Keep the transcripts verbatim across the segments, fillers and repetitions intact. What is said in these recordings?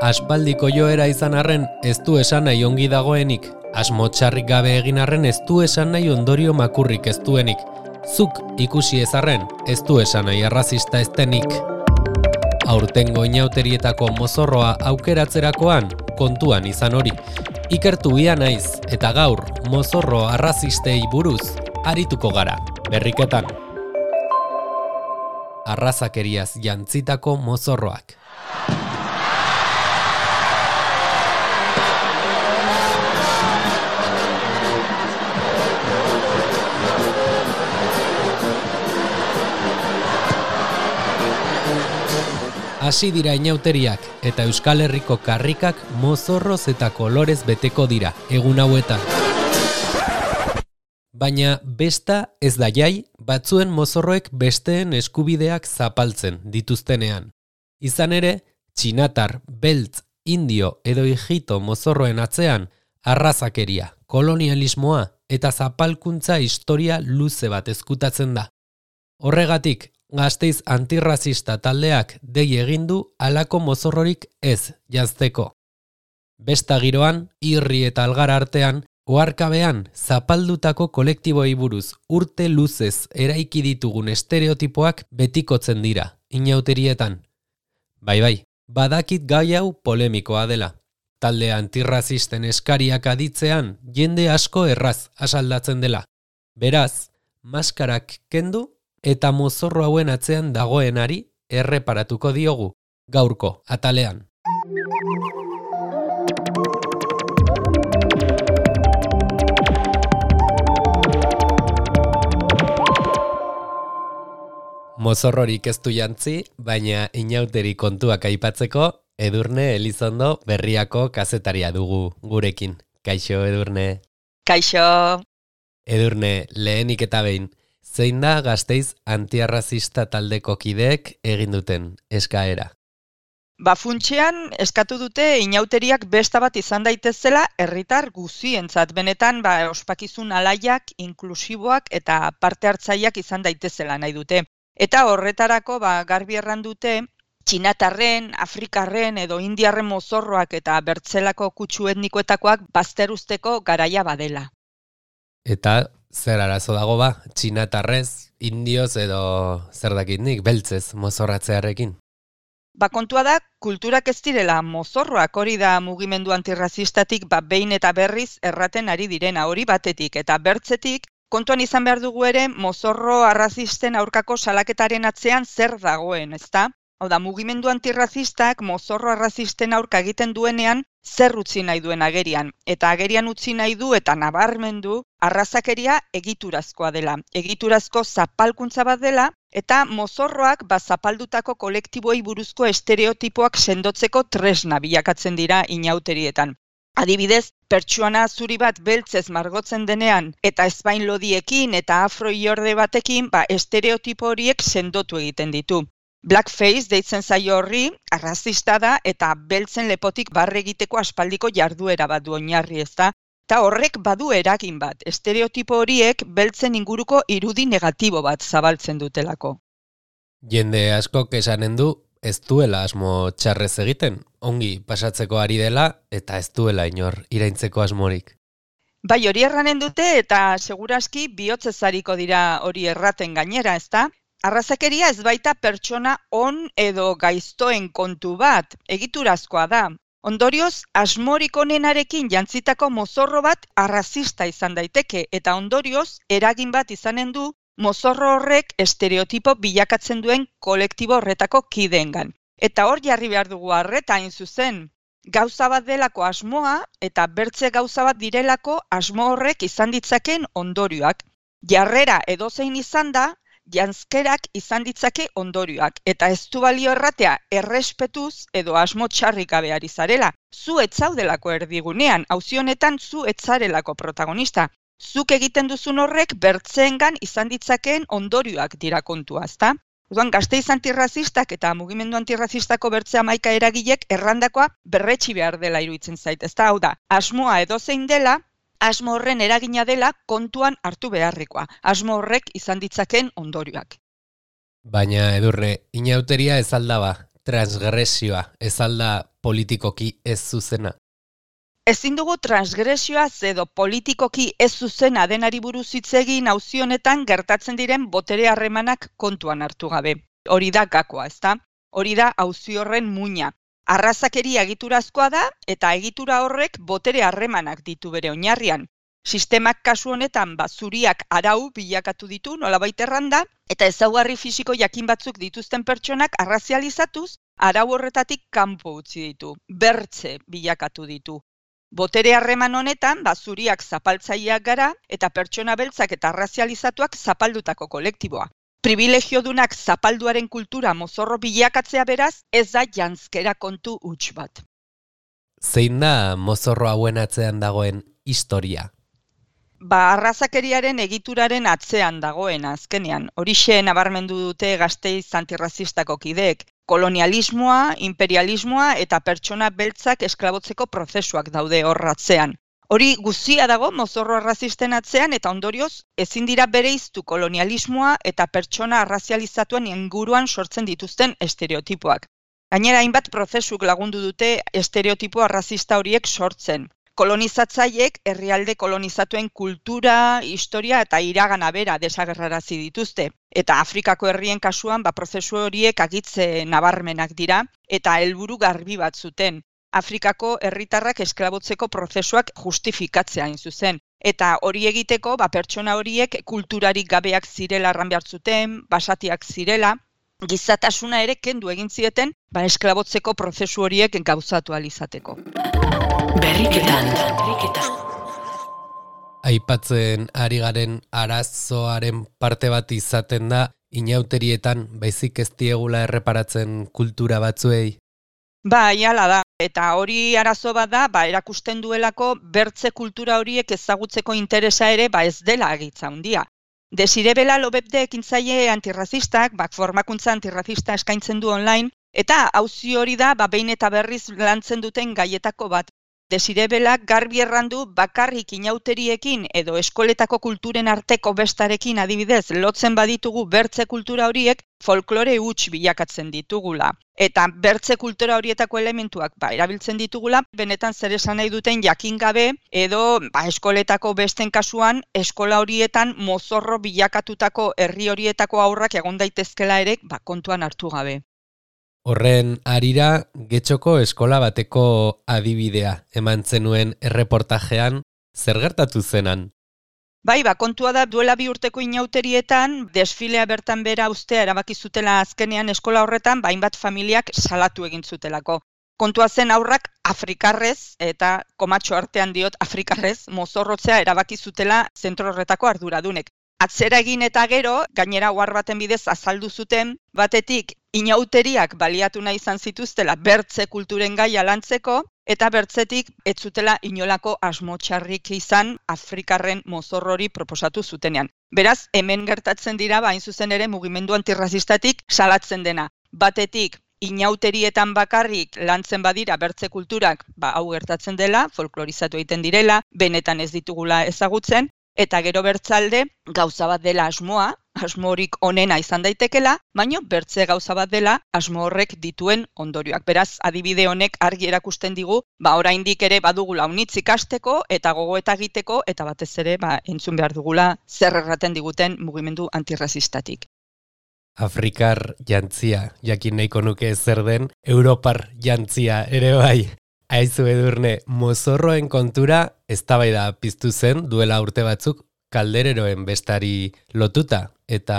Aspaldiko joera izan arren ez du esan nahi ongi dagoenik, asmo txarrik gabe egin arren ez du esan nahi ondorio makurrik ez duenik. Zuk ikusi ez arren ez du esan nahi arrazista ez denik. Aurtengo inauterietako mozorroa aukeratzerakoan kontuan izan hori. Ikertu ia naiz eta gaur mozorro arrazistei buruz arituko gara, berriketan. Arrazakeriaz jantzitako mozorroak. Hasi dira inauteriak eta Euskal Herriko karrikak mozorroz eta kolorez beteko dira egun hauetan. Baina besta ez da jai batzuen mozorroek besteen eskubideak zapaltzen dituztenean. Izan ere, txinatar, beltz, indio edo hijito mozorroen atzean arrazakeria, kolonialismoa eta zapalkuntza historia luze bat ezkutatzen da. Horregatik, Gasteiz antirrazista taldeak dei egin du halako mozorrorik ez janzteko. Besta giroan, irri eta algar artean, oharkabean zapaldutako kolektiboei buruz urte luzez eraiki ditugun estereotipoak betikotzen dira, inauterietan. Bai bai, badakit gai hau polemikoa dela. Talde antirrazisten eskariak aditzean jende asko erraz asaldatzen dela. Beraz, maskarak kendu eta mozorro hauen atzean dagoenari erreparatuko diogu, gaurko atalean. Mozorrorik ez du jantzi, baina inauteri kontuak aipatzeko, Edurne Elizondo Berriako kazetaria dugu gurekin. Kaixo, Edurne. Kaixo. Edurne, lehenik eta behin, zein da Gasteiz antiarrazista taldeko kideek egin duten eskaera? Ba funtsean eskatu dute inauteriak besta bat izan daitezela herritar guzientzat, benetan ba ospakizun alaiak, inklusiboak eta parte hartzaileak izan daitezela nahi dute. Eta horretarako ba garbi erran dute txinatarren, afrikarren edo indiarren mozorroak eta bertzelako kutsu etnikoetakoak bazteruzteko garaia badela. Eta zer arazo dago ba, txinatarrez, indioz edo zer dakitnik, beltzez mozorratzearekin? Ba kontua da, kulturak ez direla mozorroak, hori da mugimendu antirrazistatik ba behin eta berriz erraten ari direna, hori batetik eta bertzetik, kontuan izan behar dugu ere mozorro arrazisten aurkako salaketaren atzean zer dagoen, ezta? Hau da, mugimendu antirrazistak mozorro arrazisten aurka egiten duenean zer utzi nahi duen agerian. Eta agerian utzi nahi du eta nabarmendu arrazakeria egiturazkoa dela. Egiturazko zapalkuntza bat dela eta mozorroak ba zapaldutako kolektiboei buruzko estereotipoak sendotzeko tresna bilakatzen dira inauterietan. Adibidez, pertsuana zuri bat beltzez margotzen denean eta ezpain lodiekin eta afro iorde batekin ba estereotipo horiek sendotu egiten ditu. Blackface deitzen zaio horri, arrazista da eta beltzen lepotik barre egiteko aspaldiko jarduera bat du oinarri, ezta? Eta horrek badu eragin bat, estereotipo horiek beltzen inguruko irudi negatibo bat zabaltzen dutelako. Jende askok esanen du ez duela asmo txarrez egiten, ongi pasatzeko ari dela eta ez duela inor iraintzeko asmorik. Bai, hori erranen dute eta seguraski bihotzezariko dira hori erraten gainera, ezta? Arrazakeria ez baita pertsona on edo gaiztoen kontu bat, egiturazkoa da. Ondorioz, asmorik onenarekin jantzitako mozorro bat arrazista izan daiteke eta ondorioz, eragin bat izanen du mozorro horrek estereotipo bilakatzen duen kolektibo horretako kideengan. Eta hor jarri behar dugu arreta hain zuzen. Gauza bat delako asmoa eta bertze gauza bat direlako asmo horrek izan ditzaken ondorioak. Jarrera edozein izan da, janzkerak izan ditzake ondorioak, eta ez du balio erratea errespetuz edo asmo txarrik gabe ari zarela. Zu ez zaudelako erdigunean, auzi honetan zu ez zarelako protagonista. Zuk egiten duzun horrek bertzeengan izan ditzakeen ondorioak dira kontua, ezta? Orduan, Gasteiz antirrazistak eta mugimendu antirrazistako bertze hamaika eragilek errandakoa berretsi behar dela iruditzen zait, ezta? Hau da, asmoa edozein dela, asmo horren eragina dela kontuan hartu beharrekoa, asmo horrek izan ditzaken ondorioak. Baina Edurne, inauteria ez aldaba, transgresioa, ez alda politikoki ez zuzena? Ezin dugu transgresioaz edo politikoki ez zuzena denari buruz hitz egin auzi honetan gertatzen diren botere harremanak kontuan hartu gabe. Hori da gakoa, ezta? Hori da auzi horren muina. Arrazakeria egiturazkoa da eta egitura horrek botere harremanak ditu bere oinarrian. Sistemak kasu honetan ba zuriak arau bilakatu ditu nolabait erranda eta ezaugarri fisiko jakin batzuk dituzten pertsonak arrazializatuz arau horretatik kanpo utzi ditu, bertze bilakatu ditu. Botere harreman honetan, ba, zuriak zapaltzaileak gara eta pertsona beltzak eta arrazializatuak zapaldutako kolektiboa. Privilegiodunak zapalduaren kultura mozorro bilakatzea beraz, ez da janzkera kontu huts bat. Zein da mozorro hauen atzean dagoen historia? Ba, arrazakeriaren egituraren atzean dagoen azkenean. Horixe nabarmendu dute Gasteiz antirrazistako kideek. Kolonialismoa, imperialismoa eta pertsona beltzak esklabotzeko prozesuak daude horratzean. Hori guztia dago mozorro arrazisten atzean eta ondorioz ezin dira bereiztu kolonialismoa eta pertsona arrazializatuen inguruan sortzen dituzten estereotipoak. Gainera hainbat prozesuk lagundu dute estereotipo arrazista horiek sortzen. Kolonizatzaileek herrialde kolonizatuen kultura, historia eta iragana bera desagerrarazi dituzte. Eta Afrikako herrien kasuan ba, prozesu horiek agitze nabarmenak dira eta helburu garbi bat zuten. Afrikako herritarrak esklabotzeko prozesuak justifikatzea hain zuzen. Eta hori egiteko ba, pertsona horiek kulturarik gabeak zirela erran behar zuten, basatiak zirela, gizatasuna ere kendu egin zieten ba, esklabotzeko prozesu horiek gauzatu ahal izateko. Berriketan. Aipatzen ari garen arazoaren parte bat izaten da inauterietan baizik ez diegula erreparatzen kultura batzuei. Ba, iala da. Eta hori arazo bat da, ba, erakusten duelako bertze kultura horiek ezagutzeko interesa ere ba ez dela agitza handia. Desire Bela Lobebde ekintzaile antirrazistak, ba, formakuntza antirrazista eskaintzen du online, eta auzi hori da ba, behin eta berriz lantzen duten gaietako bat. Desire Belak garbi errandu bakarrik inauteriekin edo eskoletako kulturen arteko bestarekin adibidez lotzen baditugu bertze kultura horiek folklore huts bilakatzen ditugula. Eta bertze kultura horietako elementuak ba, erabiltzen ditugula, benetan zer esan nahi duten jakin gabe edo ba, eskoletako besten kasuan eskola horietan mozorro bilakatutako herri horietako aurrak egon daitezkela ere ba, kontuan hartu gabe. Horren harira, Getxoko eskola bateko adibidea eman zenuen erreportajean, zer gertatu zenan? Bai, ba, kontua da duela bi urteko inauterietan, desfilea bertan bera ustea erabaki zutela azkenean eskola horretan, ba, hainbat familiak salatu egin zutelako. Kontua zen aurrak afrikarrez, eta komatxo artean diot afrikarrez, mozorrotzea erabaki zutela zentro horretako arduradunek. Atzera egin eta gero, gainera ohar baten bidez azaldu zuten, batetik inauteriak baliatu nahi izan zituztela bertze kulturen gaia lantzeko, eta bertzetik ez zutela inolako asmo txarrik izan afrikarren mozorrori proposatu zutenean. Beraz, hemen gertatzen dira, ba, hain zuzen ere mugimendu antirrazistatik salatzen dena. Batetik, inauterietan bakarrik lantzen badira bertze kulturak, ba, hau gertatzen dela, folklorizatu egiten direla, benetan ez ditugula ezagutzen, eta gero bertzalde gauza bat dela asmoa, asmo horik onena izan daitekela, baino bertze gauza bat dela asmo horrek dituen ondorioak. Beraz, adibide honek argi erakusten digu, ba oraindik ere badugula unitz ikasteko eta gogoeta egiteko eta batez ere ba entzun behar dugula zer erraten diguten mugimendu antirrazistatik. Afrikar jantzia, jakin nahiko nuke zer den, Europar jantzia ere bai. Aizu Edurne, mozorroen kontura eztabaida piztu zen duela urte batzuk kaldereroen bestari lotuta eta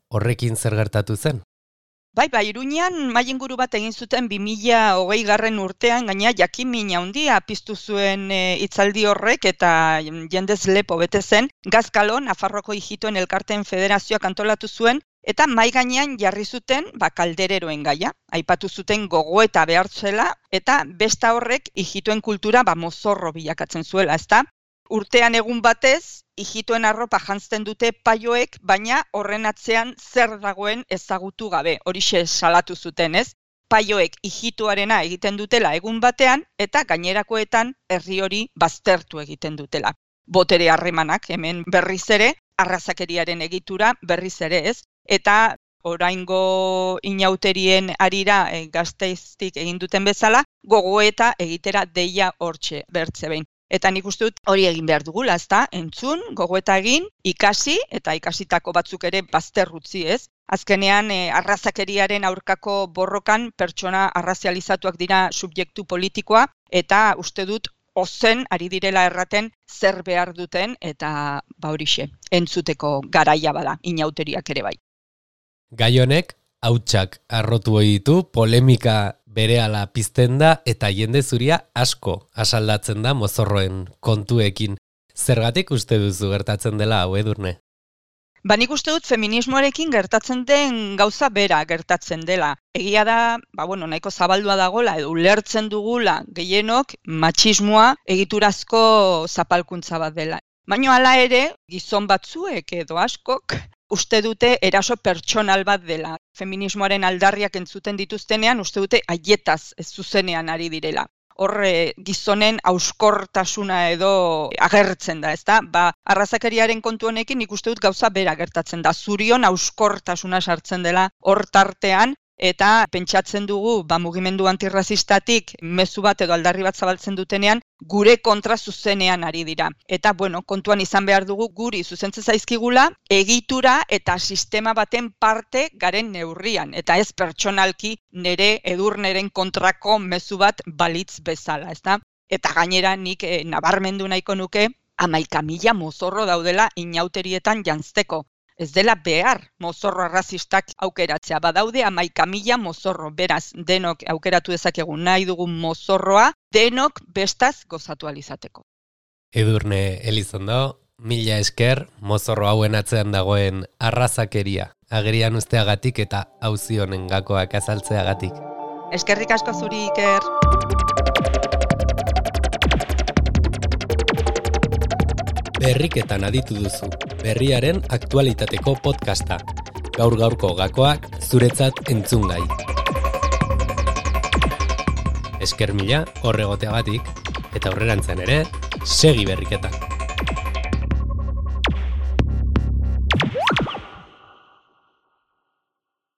horrekin zer gertatu zen? Bai, bai, Iruñean mailinguru bat egin zuten bi mila hogei garren urtean, gaina jakin mina handia piztu zuen e, hitzaldi horrek eta jendez lepo bete zen. Gazkalon, Nafarroko Ijitoen Elkarteen Federazioak antolatu zuen, eta mai gainean jarri zuten ba, kaldereroen gaia. Aipatu zuten gogoeta behartzela eta besta horrek ijitoen kultura ba, mozorro bilakatzen zuela, ezta? Urtean egun batez, ijitoen arropa jantzten dute paioek, baina horren atzean zer dagoen ezagutu gabe. Horixe salatu zuten, ez? Paioek ijitoarena egiten dutela egun batean eta gainerakoetan herri hori baztertu egiten dutela. Botere harremanak hemen berriz ere, arrazakeriaren egitura berriz ere, ez? Eta oraingo inauterien arira e, Gasteiztik egin duten bezala, gogoeta egitera deia hortxe bertze behin. Eta nik uste dut hori egin behar dugula, ezta? Entzun, gogoeta egin, ikasi, eta ikasitako batzuk ere bazterrutzi, ez? Azkenean, e, arrazakeriaren aurkako borrokan pertsona arrazializatuak dira subjektu politikoa, eta uste dut ozen ari direla erraten zer behar duten, eta ba horixe, entzuteko garaia bada, inauteriak ere bai. Gai honek, hautsak arrotu ohi ditu, polemika berehala pizten da eta jende zuria asko asaldatzen da mozorroen kontuekin. Zergatik uste duzu gertatzen dela hau, Edurne? Ba, nik uste dut feminismoarekin gertatzen den gauza bera gertatzen dela. Egia da, ba, bueno, nahiko zabaldua dagola edo ulertzen dugula gehienok matxismoa egiturazko zapalkuntza bat dela. Baina hala ere, gizon batzuek edo askok uste dute eraso pertsonal bat dela. Feminismoaren aldarriak entzuten dituztenean, uste dute haietaz ez zuzenean ari direla. Horre gizonen hauskortasuna edo agertzen da, ezta? Ba, arrazakeriaren kontu honekin nik uste dut gauza bera gertatzen da. Zurion hauskortasuna sartzen dela hor tartean, eta pentsatzen dugu, ba, mugimendu antirrazistatik mezu bat edo aldarri bat zabaltzen dutenean, gure kontra zuzenean ari dira. Eta, bueno, kontuan izan behar dugu guri zuzentzen zaizkigula, egitura eta sistema baten parte garen neurrian. Eta ez pertsonalki nere Edurneren kontrako mezu bat balitz bezala, ezta? Eta gainera nik eh, nabarmendu nahiko nuke, hamaika mila mozorro daudela inauterietan janzteko. Ez dela behar mozorro arrazistak aukeratzea. Badaude hamaika mila mozorro, beraz denok aukeratu dezakegu nahi dugun mozorroa, denok bestaz gozatu alizateko. Edurne Elizondo, mila esker mozorro hauen atzean dagoen arrazakeria agerian usteagatik eta auzi honen gakoak azaltzeagatik. Eskerrik asko zuri, Iker. Berriketan aditu duzu, berriaren aktualitateko podcasta. Gaur gaurko gakoak zuretzat entzungai. Esker mila horregoteagatik eta aurrerantzen ere, segi berriketan.